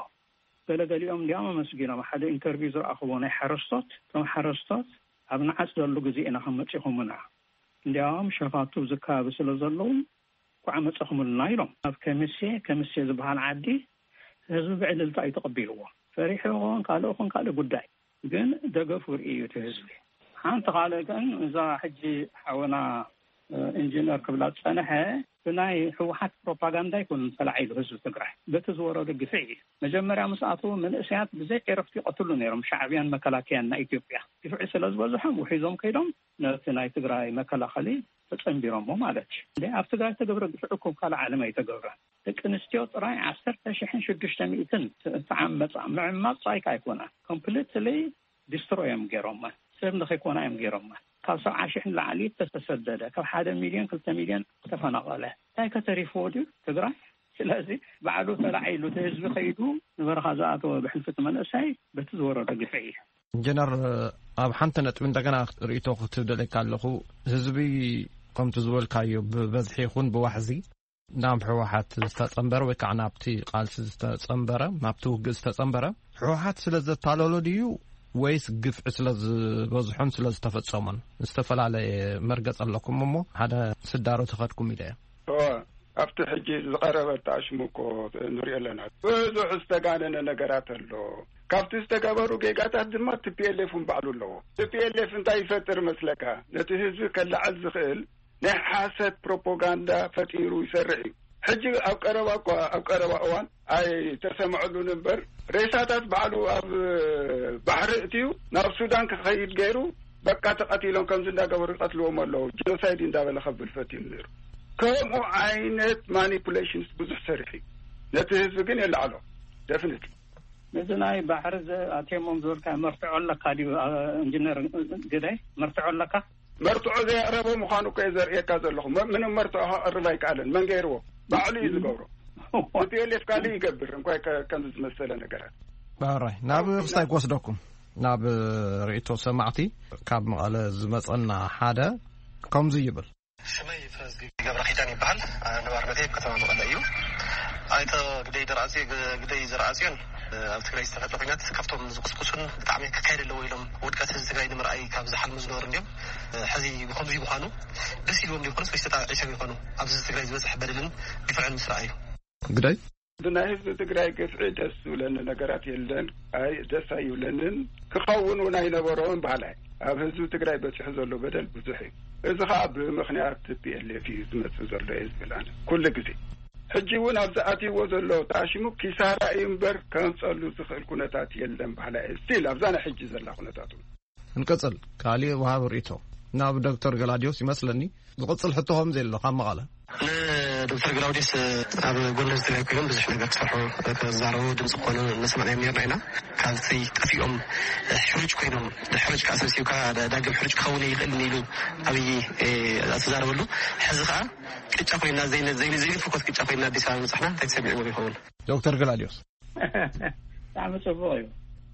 ገለገሊኦም እንዲያም ኣመስጊኖም ሓደ ኢንተርቪው ዝረኣኽዎ ናይ ሓረስቶት እቶም ሓረስቶት ኣብ ንዓፅደሉ ግዜ ኢና ከም መፂኹምና እንዲያውም ሸፋቱ ኣብዚ ከባቢ ስለ ዘለዉ እኳ መፀኹምልና ኢሎም። ኣብ ከሚሴ ከሚሴ ዝበሃል ዓዲ ህዝቢ ብዕልልታ እዩ ተቐቢልዎ። ፈሪሑ ይኸውን ካልእ ይኹን ካልእ ጉዳይ ግን ደገፉ ርኢ እዩ እቲ ህዝቢ። ሓንቲ ካልእ ግን እዛ ሕጂ ሓወና ኢንጂነር ክብላ ዝፀንሐ ብናይ ህወሓት ፕሮፓጋንዳ ኣይኮኑን ተላዒሉ ህዝቢ ትግራይ በቲ ዝወረዱ ግፍዒ እዩ። መጀመርያ ምስ ኣተዉ መንእሰያት ብዘይ ዕረፍቲ ይቐትሉ ነይሮም ሻዕብያን መከላከያን ናይ ኢትዮጵያ። ግፍዒ ስለ ዝበዝሖም ውሒዞም ከይዶም ነቲ ናይ ትግራይ መከላኸሊ ተፀንቢሮሞ ማለት እዩ። እንደ ኣብ ትግራይ ተገብረ ግፍዒ እኮ ካልእ ዓለም ኣይተገብረን። ደቂ ኣንስትዮ ጥራይ ዓሰርተ ሽሕን ሽዱሽተ ሚእትን ተዓመፃ። ምዕማፅ ጥራይ ከ ኣይኮነን ኮምፕሊትሊ ዲስትሮ እዮም ገይሮማ። ሰብ ንኸይኮና እዮም ገይሮማ። ካብ ሰብዓ ሽሕ ንላዕሊ ተሰደደ፣ ካብ ሓደ ሚልዮን ክልተ ሚልዮን ተፈናቐለ። እንታይ ከተሪፍዎ ድዩ ትግራይ? ስለዚ ባዕሉ ተላዒሉ እቲ ህዝቢ ከይዱ ንበረኻ ዝኣተወ ብሕልፊ እቲ መንእሰይ በቲ ዝወረዶ ግፍዒ እዩ። ኢንጂነር፣ ኣብ ሓንቲ ነጥቢ እንደገና ርእይቶ ክትደለካ ኣለኹ። ህዝቢ ከምቲ ዝበልካዮ ብበዝሒ ይኹን ብዋሕዚ ናብ ህወሓት ዝተጸንበረ ወይ ከዓ ናብቲ ቃልሲ ዝተጸንበረ፣ ናብቲ ውግእ ዝተጸንበረ ህወሓት ስለ ዘታለሎ ድዩ ወይስ ግፍዒ ስለ ዝበዝሖን ስለ ዝተፈጸሞን? ዝተፈላለየ መርገጽ ኣለኩም እሞ ሓደ ስዳሮ ተኸድኩም ኢለ እየ። እወ፣ ኣብቲ ሕጂ ዝቐረበ ኣተኣሽሙ እኮ ንሪኦ ኣለና። ብዙሕ ዝተጋነነ ነገራት ኣሎ። ካብቲ ዝተገበሩ ጌጋታት ድማ ቲ ፒ ኤል ኤፍ እውን ባዕሉ ኣለዎ። ቲ ፒ ኤል ኤፍ እንታይ ይፈጥር መስለካ? ነቲ ህዝቢ ከላዕል ዝኽእል ናይ ሓሰት ፕሮፓጋንዳ ፈጢሩ ይሰርሕ እዩ። ሕጂ ኣብ ቀረባ እኳ፣ ኣብ ቀረባ እዋን ኣይተሰምዐሉን እምበር፣ ሬሳታት ባዕሉ ኣብ ባሕሪ እትዩ ናብ ሱዳን ክኸይድ ገይሩ፣ በቃ ተቐቲሎም ከምዚ እንዳገበሩ ይቐትልዎም ኣለዉ፣ ጀኖሳይድ እንዳበለ ከብል ፈትዩ ነይሩ። ከምኡ ዓይነት ማኒፑሌሽንስ ብዙሕ ሰሪሑ እዩ። ነቲ ህዝቢ ግን የላዕሎ። ደፍኒትሊ። ነዚ ናይ ባሕሪ ዘ-፣ ኣትየሞም ዝበልካ መርትዖ ኣለካ ድዩ? አ-፣ ኢንጂነር ግዳይ፣ መርትዖ ኣለካ? መርትዖ ዘየቕረበ ምዃኑ እኮ እየ ዘርእየካ ዘለኹ። መ-፣ ምንም መርትዖ ከቕርብ ኣይከኣለን። መን ገይርዎ? ባዕሉ እዩ ዝገብሮ። ቲ ፒ ኤል ኤፍ ካልእ ይገብር እንኳ ከ-፣ ከምዚ ዝመሰለ ነገራት። ባራይ፣ ናብ ክስታይ ክወስደኩም፣ ናብ ርእይቶ ሰማዕቲ ካብ መቐለ ዝመጸና ሓደ ከምዚ ይብል። ሽመይ ፍረዝጊ ገብረ ኪዳን ይበሃል። ነባርነተይ ኣብ ከተማ መቐለ እዩ። ኣይተ ግደይ ደርኣጽዮ-፣ ግ-፣ ግደይ ዘርኣጽዮን ኣብ ትግራይ ዝተፈጥረ ኩናት ካብቶም ዝቁስቁሱን ብጣዕሚ ክካየድ ኣለዎ ኢሎም ውድቀት ህዝቢ ትግራይ ንምርኣይ ካብ ዝሓልሙ ዝነበሩ እንዲዮም። ሕዚ ብኸምዚ ምዃኑ ደስ ኢልዎም ዶ ይኾኑስ ወይስ ተጣዒሶም ይኾኑ? ኣብዚ ህዝቢ ትግራይ ዝበፅሕ በደልን ግፍዕን ምስ ረኣዩ። ግደይ? ብናይ ህዝቢ ትግራይ ግፍዒ ደስ ዝብለኒ ነገራት የለን። ኣይ፣ ደስ ኣይብለንን። ክኸውን እውን ኣይነበሮን በሃላይ። ኣብ ህዝቢ ትግራይ በፂሑ ዘሎ በደል ብዙሕ እዩ። እዚ ኸዓ ብምኽንያት ቲ ፒ ኤል ኤፍ እዩ ዝመፅእ ዘሎ እየ ዝብል ኣነ ኩሉ ግዜ። ሕጂ እውን ኣብዚ ኣትይዎ ዘሎ ተኣሽሙ ኪሳራ እዩ እምበር ከንፀሉ ዝኽእል ኩነታት የለን በሃላይ እየ። ስቲል ኣብዛ ናይ ሕጂ ዘላ ኩነታት እውን። እንቀጽል። ካልእ ወሃቢ ርእይቶ ናብ ዶክተር ገላዲዮስ ይመስለኒ። ዝቕጽል ሕቶ ከም ዘሎ ካብ መቐለ። ንዶክተር ገላውዲስ ኣብ ጎንደር ትግራይ ኮይኖም ብዙሕ ነገር ክሰርሑ፣ ክዛረቡ ድምፂ ክኾኑ እናሰማዕናዮም ነርና ኢና። ካብቲ ጠፊኦም ሕሩጭ ኮይኖም፣ ሕሩጭ ከዓ ሰብሲብካ ዳ-፣ ዳግም ሕሩጭ ክኸውን ይኽእል ኢሉ ኣብይ፣ እ፣ ዝተዛረበሉ፣ ሕዚ ከዓ ቅጫ ኮይና ዘይነ-፣ ዘይነ-፣ ዘይንፍኮት ቅጫ ኮይና ኣዲስ ኣበባ ምብጻሕና እንታይ ተሰሚዕዎም ይኸውን? ዶክተር ገላዲዮስ። ብጣዕሚ ጽቡቕ እዩ።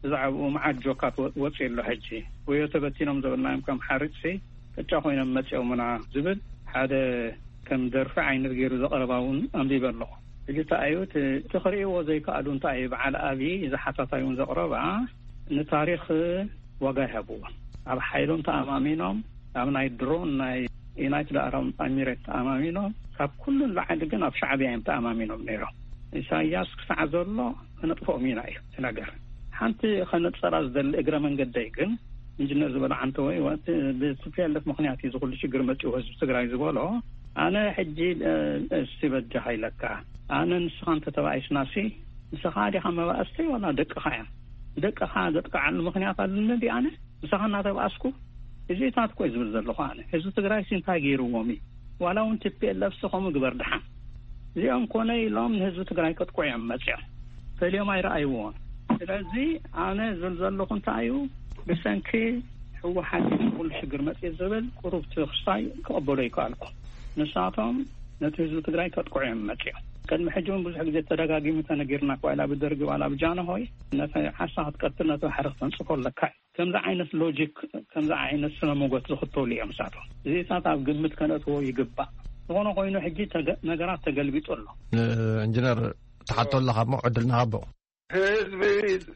ብዛዕባኡ መዓት ጆካት ወ-፣ ወጺኡ ኣሎ። ሕጂ ወዮ ተበቲኖም ዘበልናዮም ከም ሓርጭሲ ቅጫ ኮይኖም መጺኦምና ዝብል ሓደ ከም ደርፊ ዓይነት ገይሩ ዘቕረባ እውን ኣንቢበ ኣለኹ። ሕጂ እንታይ እዩ እቲ፣ እቲ ክርእይዎ ዘይከኣሉ እንታይ እዩ? በዓል ኣብዪ እዛ ሓታታይ እውን ዘቕረባ ንታሪኽ ዋጋ ይሃብዎ። ኣብ ሓይሎም ተኣማሚኖም፣ ኣብ ናይ ድሮን ናይ ዩናይትድ ኣረብ ኤሚሬት ተኣማሚኖም፣ ካብ ኩሉ ንላዕሊ ግን ኣብ ሻዕብያ እዮም ተኣማሚኖም ነይሮም። ኢሳያስ ክሳዕ ዘሎ ክነጥፍኦም ኢና እዩ እቲ ነገር። ሓንቲ ከነጸራ ዝደሊ እግረ መንገደይ ግን፣ ኢንጂነር ዝበሎ ዓንተወይ፣ ወ-፣ ቲ-፣ ብ ቲ ፒ ኤል ኤፍ ምኽንያት እዩ ዝኹሉ ሽግር መጺኡ ህዝቢ ትግራይ ዝበሎ። ኣነ ሕጂ፣ እ፣ እስቲ በጃኻ ኢለካ፣ ኣነ ንስኻ እንተተባኢስናሲ፣ ንስኻ ዲኻ መባእስቲ ዋላ ደቅኻ እዮም? ደቅኻ ዘጥቅዓሉ ምኽንያት ኣለኒ ድየ ኣነ? ምሳኻ እናተባኣስኩ እዚታት እኮ እዩ ዝብል ዘለኹ ኣነ። ህዝቢ ትግራይ ሲ እንታይ ገይርዎም እዩ? ዋላ እውን ቲ ፒ ኤል ኤፍ ሲ ከምኡ ግበር ድሓን። እዚኦም ኮነ ኢሎም ንህዝቢ ትግራይ ከጥቅዑ እዮም መፂኦም። ፈልዮም ኣይረኣይዎን። ስለዚ ኣነ ዝብል ዘለኹ እንታይ እዩ? ብሰንኪ ህወሓት እዩ ኩሉ ሽግር መፂኡ ዝብል ቁሩብ እቲ ክስታይ ክቕበሎ ይከኣልኩ። ንሳቶም ነቲ ህዝቢ ትግራይ ከጥቅዑ እዮም መፂኦም። ቅድሚ ሕጂ እውን ብዙሕ ግዜ ተደጋጊሙ ተነጊርና እኳ፣ ዋላ ብደርጊ ዋላ ብጃንሆይ፣ ነቲ ዓሳ ክትቀትል ነቲ ባሕሪ ክተንፅፎ ኣለካ እዩ። ከምዚ ዓይነት ሎጂክ፣ ከምዚ ዓይነት ስነ ሞጎት ዝኽተሉ እዮም እሳቶም። እዚታት ኣብ ግምት ከነእትዎ ይግባእ። ዝኾነ ኮይኑ ሕጂ ተገ-፣ ነገራት ተገልቢጡ ኣሎ። ኢንጂነር፣ ትሓቶ ኣለኻ እሞ ዕድል ንሃቦ። ህዝቢ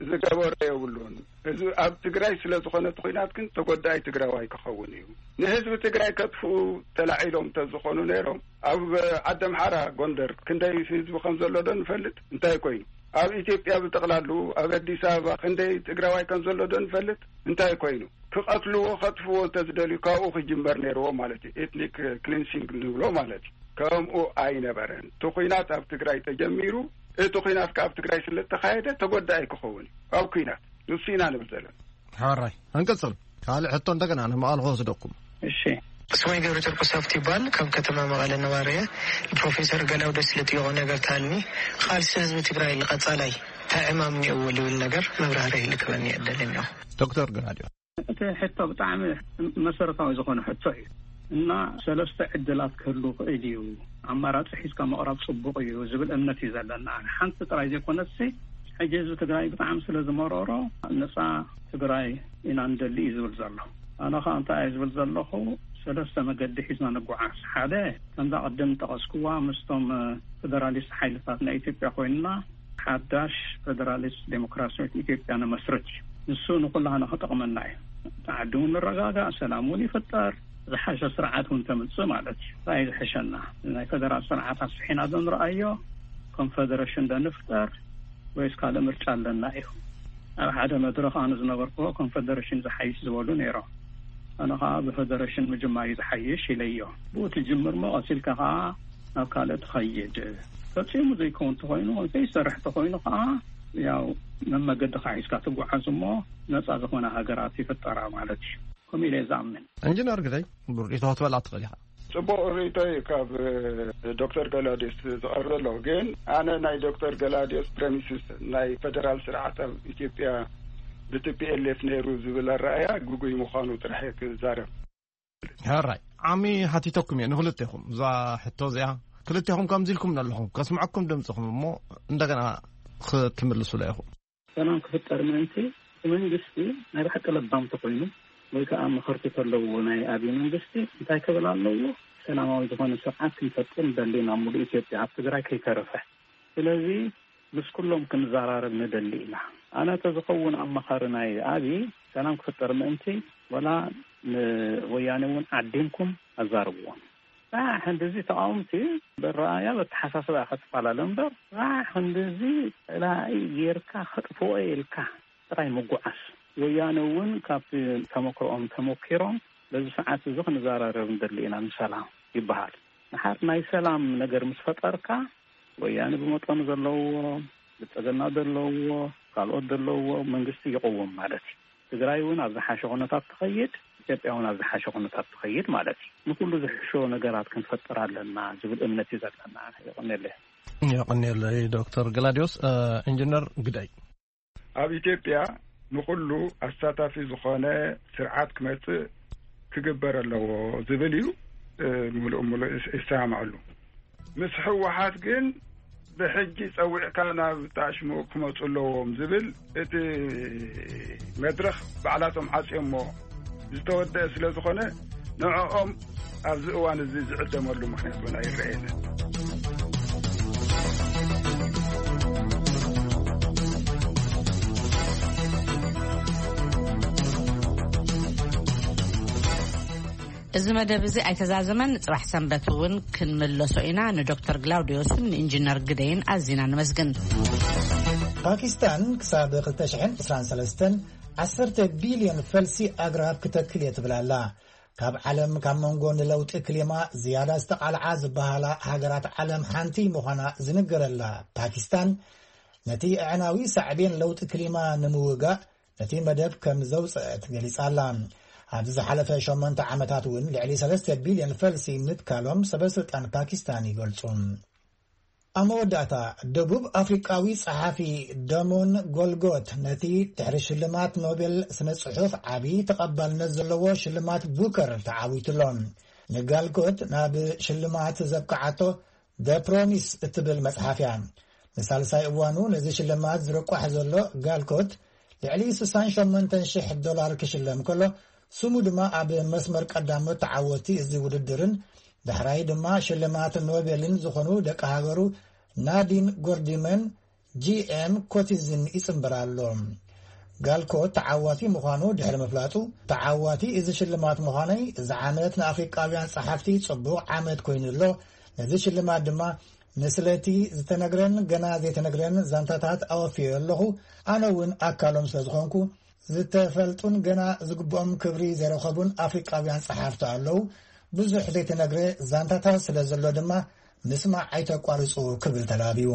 ዝገበሮ የብሉን። ህዝቢ ኣብ ትግራይ ስለ ዝኾነ እቲ ኹናት ግን ተጎዳኢ ትግራዋይ ክኸውን እዩ። ንህዝቢ ትግራይ ከጥፍኡ ተላዒሎም እንተዝኾኑ ነይሮም፣ ኣብ ዓዲ ኣምሓራ ጎንደር ክንደይ ህዝቢ ከም ዘሎ ዶ ንፈልጥ? እንታይ ኮይኑ? ኣብ ኢትዮጵያ ብጠቕላሉ ኣብ ኣዲስ ኣበባ ክንደይ ትግራዋይ ከም ዘሎ ዶ ንፈልጥ? እንታይ ኮይኑ? ክቐትልዎ፣ ከጥፍዎ እንተዝደልዩ ካብኡ ክጅመር ነይርዎ ማለት እዩ። ኤትኒክ ክሊንሲንግ ንብሎ ማለት እዩ። ከምኡ ኣይነበረን። እቲ ኹናት ኣብ ትግራይ ተጀሚሩ፣ እቲ ኹናት ከኣ ኣብ ትግራይ ስለ እተኻየደ ተጎዳኢ ክኸውን እዩ። ኣብ ኲናት ንሱ ኢና ንብል ዘለና። ሕራይ። እንቅጽል። ካልእ ሕቶ እንደገና ንመቐለ ክወስደኩም። እሺ። ስመይ ገብረ ጨርቆስ ሃብቱ ይባል። ካብ ከተማ መቐለ ነባሪ እየ። ፕሮፌሰር ገላውዴስ ልጥይቖ ነገር ተሃልኒ፣ ቃልሲ ህዝቢ ትግራይ ንቐጻላይ እንታይ ዕማም እኒኦዎ ልብል ነገር መብራህርሂ ልክበኒ እየ እደሊ እኒኦ። ዶክተር ገላውዴስ። እቲ ሕቶ ብጣዕሚ መሰረታዊ ዝኾነ ሕቶ እዩ። እና ሰለስተ ዕድላት ክህሉ ክእል እዩ፣ ኣማራፂ ሒዝካ ምቕራብ ፅቡቕ እዩ ዝብል እምነት እዩ ዘለና። ሓንቲ ጥራይ ዘይኮነሲ፣ ሕጂ ህዝቢ ትግራይ ብጣዕሚ ስለ ዝመረሮ፣ ነፃ ትግራይ ኢና ንደሊ እዩ ዝብል ዘሎ። ኣነ ኸዓ እንታይ እየ ዝብል ዘለኹ? ሰለስተ መገዲ ሒዝና ንጓዓዝ። ሓደ፣ ከምዛ ቅድም ጠቐስኩዋ፣ ምስቶም ፈደራሊስት ሓይልታት ናይ ኢትዮጵያ ኮይንና ሓዳሽ ፈደራሊስት ዴሞክራሲያዊት ኢትዮጵያ ንመስርት እዩ። ንሱ ንኩላህና ክጠቕመና እዩ። እቲ ዓዲ እውን ንረጋጋእ፣ ሰላም እውን ይፍጠር፣ ዝሓሸ ስርዓት እውን ተምፅእ ማለት እዩ። እንታይ ዝሕሸና? ናይ ፈደራል ስርዓት ኣስሒና ዶ ንረኣዮ፣ ኮንፈደረሽን ዶ ንፍጠር፣ ወይስ ካልእ ምርጫ ኣለና እዩ? ኣብ ሓደ መድረኽ ኣነ ዝነበርኩዎ ኮንፈደረሽን ዝሓይሽ ዝበሉ ነይሮም። ኣነ ከዓ ብፈደረሽን ምጅማር እዩ ዝሓይሽ ኢለዮ። ብኡ ትጅምር እሞ ቀሲልካ ከዓ ናብ ካልእ ትኸይድ። ፈጺሙ ዘይከውን ተኾይኑ፣ ዘይሰርሕ ተኾይኑ ከዓ ያው መመገድኻ ሒዝካ ትጓዓዝ እሞ ነፃ ዝኾነ ሃገራት ይፍጠራ ማለት እዩ። ከምኡ ኢለ እየ ዝኣምን። ኢንጂነር ግደይ፣ ርኢቶ ክትበላ ትኽእል ኢኻ። ጽቡቕ ርእይቶ እዩ ካብ ዶክተር ገላውዴዎስ ዝቐርብ ዘሎ። ግን ኣነ ናይ ዶክተር ገላውዴዎስ ፕሬሚስስ ናይ ፈደራል ስርዓት ኣብ ኢትዮጵያ ብቲ ፒ ኤል ኤፍ ነይሩ ዝብል ኣረኣእያ ግጉይ ምዃኑ ጥራሕ እየ ክዛረብ። ሕራይ፣ ዓሚ ሓቲተኩም እየ ንክልቴኹም እዛ ሕቶ እዚኣ። ክልቴኹም ከምዚ ኢልኩም ኣለኹም፣ ከስምዐኩም ድምፅኹም እሞ እንደገና ክትምልሱላ ኢኹም። ሰላም ክፍጠር ምእንቲ እቲ መንግስቲ ናይ ብሓቂ ለባም ተኾይኑ ወይ ከዓ መኸርቲ ተለውዎ ናይ ኣብይ መንግስቲ እንታይ ክብል ኣለዎ? ሰላማዊ ዝኾነ ስርዓት ክንፈጥር ንደሊ ናብ ሙሉእ ኢትዮጵያ ኣብ ትግራይ ከይተረፈ። ስለዚ ምስ ኩሎም ክንዘራረብ ንደሊ ኢና። ኣነ ተዝኸውን ኣማኻሪ ናይ ኣብይ ሰላም ክፍጠር ምእንቲ ወላ ንወያኔ እውን ዓዲምኩም ኣዛርብዎም። ራሕ እንደዚ ተቃወምቲ በረኣያ በተሓሳስባ ክትፈላለ እምበር ራሕ እንደዚ ፀላኢ ጌርካ ከጥፍኦ ኢልካ ጥራይ ምጉዓስ። ወያነ እውን ካብቲ ተመክሮኦም ተመኪሮም በዚ ሰዓት እዚ ክንዘራረብ ንደሊ ኢና ንሰላም ይበሃል። ንሓር ናይ ሰላም ነገር ምስ ፈጠርካ ወያነ ብመጠኑ ዘለዎ ብልፅግና ዘለዎ ካልኦት ዘለዎ መንግስቲ ይቀውም ማለት እዩ። ትግራይ እውን ኣብ ዝሓሸ ኩነታት ትኸይድ፣ ኢትዮጵያ እውን ኣብ ዝሓሸ ኩነታት ትኸይድ ማለት እዩ። ንኩሉ ዝሕሾ ነገራት ክንፈጥር ኣለና ዝብል እምነት እዩ ዘለና። የቐንየለይ። የቐንየለይ ዶክተር ገላዲዮስ። ኢንጂነር ግዳይ፣ ኣብ ኢትዮጵያ ንኹሉ ኣሳታፊ ዝኾነ ስርዓት ክመጽእ ክግበር ኣለዎ ዝብል እዩ። ምሉእ ምሉእ ይሰማማዓሉ። ምስ ህወሓት ግን ብሕጂ ጸዊዕካ ናብ ጣሽሙ ክመጹ ኣለዎም ዝብል እቲ መድረኽ ባዕላቶም ዓጽዮሞ ዝተወደአ ስለ ዝኾነ ንዕኦም ኣብዚ እዋን እዚ ዝዕደመሉ ምኽንያት እውን ኣይረኣየንን። እዚ መደብ እዚ ኣይተዛዘመን። ጽባሕ ሰንበት እውን ክንምለሶ ኢና። ንዶክተር ግላውዲዮስን ንኢንጂነር ግደይን ኣዚና ንመስግን። ፓኪስታን ክሳብ ክልተ ሽሕን ዕስራን ሰለስተን ዓሰርተ ቢልዮን ፈልሲ ኣግራብ ክተክል እየ ትብል ኣላ። ካብ ዓለም ካብ መንጎ ንለውጢ ክሊማ ዝያዳ ዝተቓልዓ ዝበሃላ ሃገራት ዓለም ሓንቲ ምዃና ዝንገረላ ፓኪስታን፣ ነቲ ኣዕናዊ ሳዕቤን ለውጢ ክሊማ ንምውጋእ ነቲ መደብ ከም ዘውፅአት ገሊጻ ኣላ። ኣብዚ ዝሓለፈ ሸሞንተ ዓመታት እውን ልዕሊ ሰለስተ ቢልዮን ፈልሲ ምትካሎም ሰበስልጣን ፓኪስታን ይገልጹ። ኣብ መወዳእታ፣ ደቡብ ኣፍሪቃዊ ጸሓፊ ደሞን ጎልጎት ነቲ ድሕሪ ሽልማት ኖቤል ስነ ጽሑፍ ዓቢ ተቐባልነት ዘለዎ ሽልማት ቡከር ተዓዊቱሎ። ንጋልጎት ናብ ሽልማት ዘብቅዓቶ ደ ፕሮሚስ እትብል መጽሓፍ እያ። ንሳልሳይ እዋኑ ነዚ ሽልማት ዝርቋሕ ዘሎ ጋልኮት ልዕሊ ስሳን ሸሞንተን ሽሕ ዶላር ክሽለም ከሎ፣ ስሙ ድማ ኣብ መስመር ቀዳሞት ተዓወቲ እዚ ውድድርን ዳሕራይ ድማ ሽልማት ኖቤልን ዝኾኑ ደቂ ሃገሩ ናዲን ጎርዲመን፣ ጂ ኤም ኮቲዝን ይጽንብር ኣሎ። ጋልኮት ተዓዋቲ ምዃኑ ድሕሪ ምፍላጡ፣ ተዓዋቲ እዚ ሽልማት ምዃነይ እዚ ዓመት ንኣፍሪቃውያን ጸሓፍቲ ጽቡቕ ዓመት ኮይኑ ኣሎ። ነዚ ሽልማት ድማ ንስለቲ ዝተነግረን ገና ዘይተነግረን ዛንታታት ኣወፍዮ ኣለኹ። ኣነ እውን ኣካሎም ስለ ዝኾንኩ ዝተፈልጡን ገና ዝግብኦም ክብሪ ዘይረኸቡን ኣፍሪቃውያን ጸሓፍቲ ኣለዉ። ብዙሕ ዘይተነግረ ዛንታታት ስለ ዘሎ ድማ ምስማዕ ኣይተቋርጹ ክብል ተላብዩ።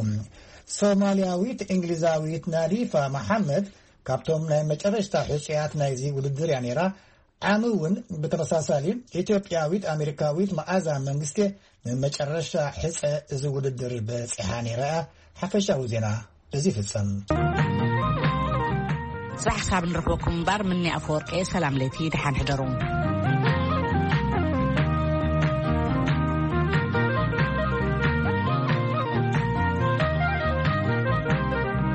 ሶማልያዊት እንግሊዛዊት ናዲፋ መሓመድ ካብቶም ናይ መጨረሽታ ሕጹያት ናይዚ ውድድር እያ ነይራ። ዓሚ እውን ብተመሳሳሊ ኢትዮጵያዊት ኣሜሪካዊት መዓዛ መንግስቴ ንመጨረሽታ ሕጸ እዚ ውድድር በጺሓ ነይራ እያ። ሓፈሻዊ ዜና እዚ ይፍጸም። ጽባሕ ካብ ንረኽበኩም እምበር፣ ምኒ ኣፈወርቂ፣ ሰላም ለይቲ፣ ደሓን ሕደሩ።